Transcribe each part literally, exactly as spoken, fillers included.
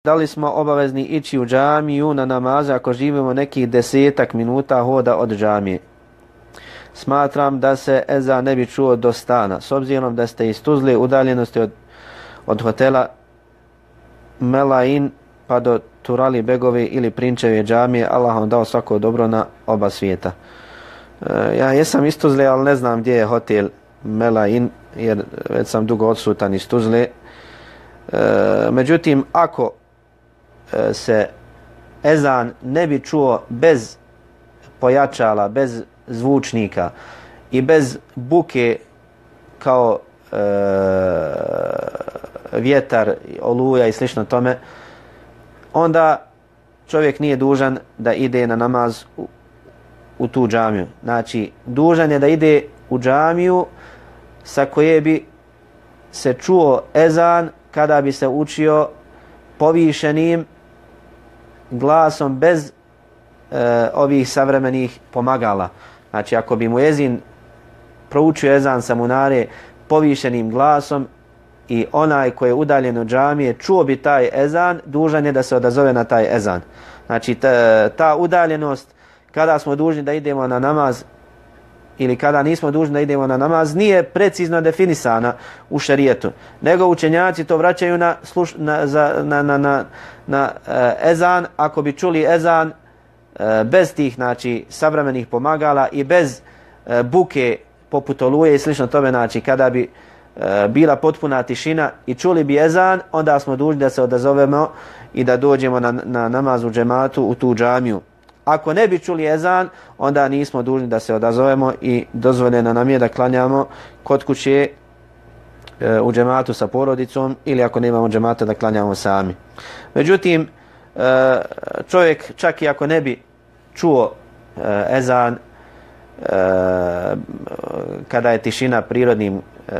Da li smo obavezni ići u džamiju na namaze ako živimo nekih desetak minuta hoda od džamije? Smatram da se ezan ne bi čuo do stana. S obzirom da ste iz Tuzle udaljenosti od, od hotela Melain pa do Turali Begove ili Prinčeve džamije, Allah vam dao svako dobro na oba svijeta. E, ja jesam iz Tuzle, ali ne znam gdje je hotel Melain, jer već sam dugo odsutan iz Tuzle. E, međutim, ako se ezan ne bi čuo bez pojačala, bez zvučnika i bez buke kao e, vjetar, oluja i slično tome, onda čovjek nije dužan da ide na namaz u, u tu džamiju. Znači, dužan je da ide u džamiju sa koje bi se čuo ezan kada bi se učio povišenim glasom bez e, ovih savremenih pomagala. Znači, ako bi mu ezin proučio ezan sa munare povišenim glasom i onaj koji je udaljen od džamije čuo bi taj ezan, dužan je da se odazove na taj ezan. Znači, ta, ta udaljenost kada smo dužni da idemo na namaz ili kada nismo dužni da idemo na namaz nije precizno definisana u šerijetu, nego učenjaci to vraćaju na, sluš, na, za, na, na, na, na uh, ezan. Ako bi čuli ezan uh, bez tih, znači, savremenih pomagala i bez uh, buke poput oluje i slično tome, znači kada bi uh, bila potpuna tišina i čuli bi ezan, onda smo dužni da se odazovemo i da dođemo na, na namaz u džematu u tu džamiju. Ako ne bi čuli ezan, onda nismo dužni da se odazovemo i dozvoljeno nam je da klanjamo kod kuće e, u džematu sa porodicom ili ako nemamo džemata da klanjamo sami. Međutim, e, čovjek čak i ako ne bi čuo e, ezan e, kada je tišina prirodnim, e,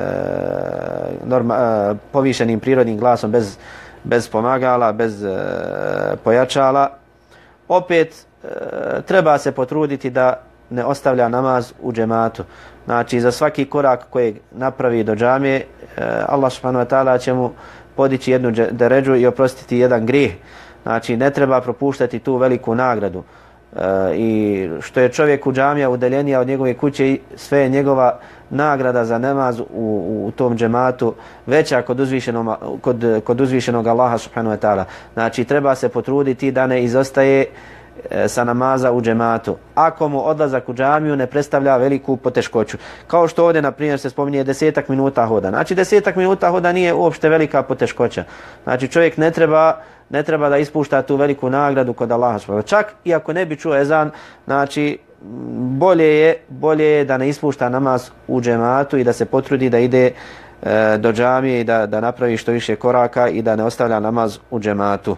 norma, e, povišenim prirodnim glasom bez, bez pomagala, bez e, pojačala, opet E, treba se potruditi da ne ostavlja namaz u džematu. Znači, za svaki korak koji napravi do džamije, e, Allah subhanahu wa ta'ala će mu podići jednu deređu i oprostiti jedan grijeh. Znači, ne treba propuštati tu veliku nagradu. E, I što je čovjek u džamija udaljenija od njegove kuće, sve je njegova nagrada za namaz u, u, u tom džematu veća kod uzvišenog, kod, kod uzvišenog Allaha subhanahu wa ta'ala. Znači, treba se potruditi da ne izostaje sa namaza u džematu, ako mu odlazak u džamiju ne predstavlja veliku poteškoću. Kao što ovdje, na primjer, se spominje desetak minuta hoda. Znači, desetak minuta hoda nije uopšte velika poteškoća. Znači, čovjek ne treba, ne treba da ispušta tu veliku nagradu kod Allaha. Čak i ako ne bi čuo ezan, znači, bolje je, bolje je da ne ispušta namaz u džematu i da se potrudi da ide e, do džamije i da, da napravi što više koraka i da ne ostavlja namaz u džematu.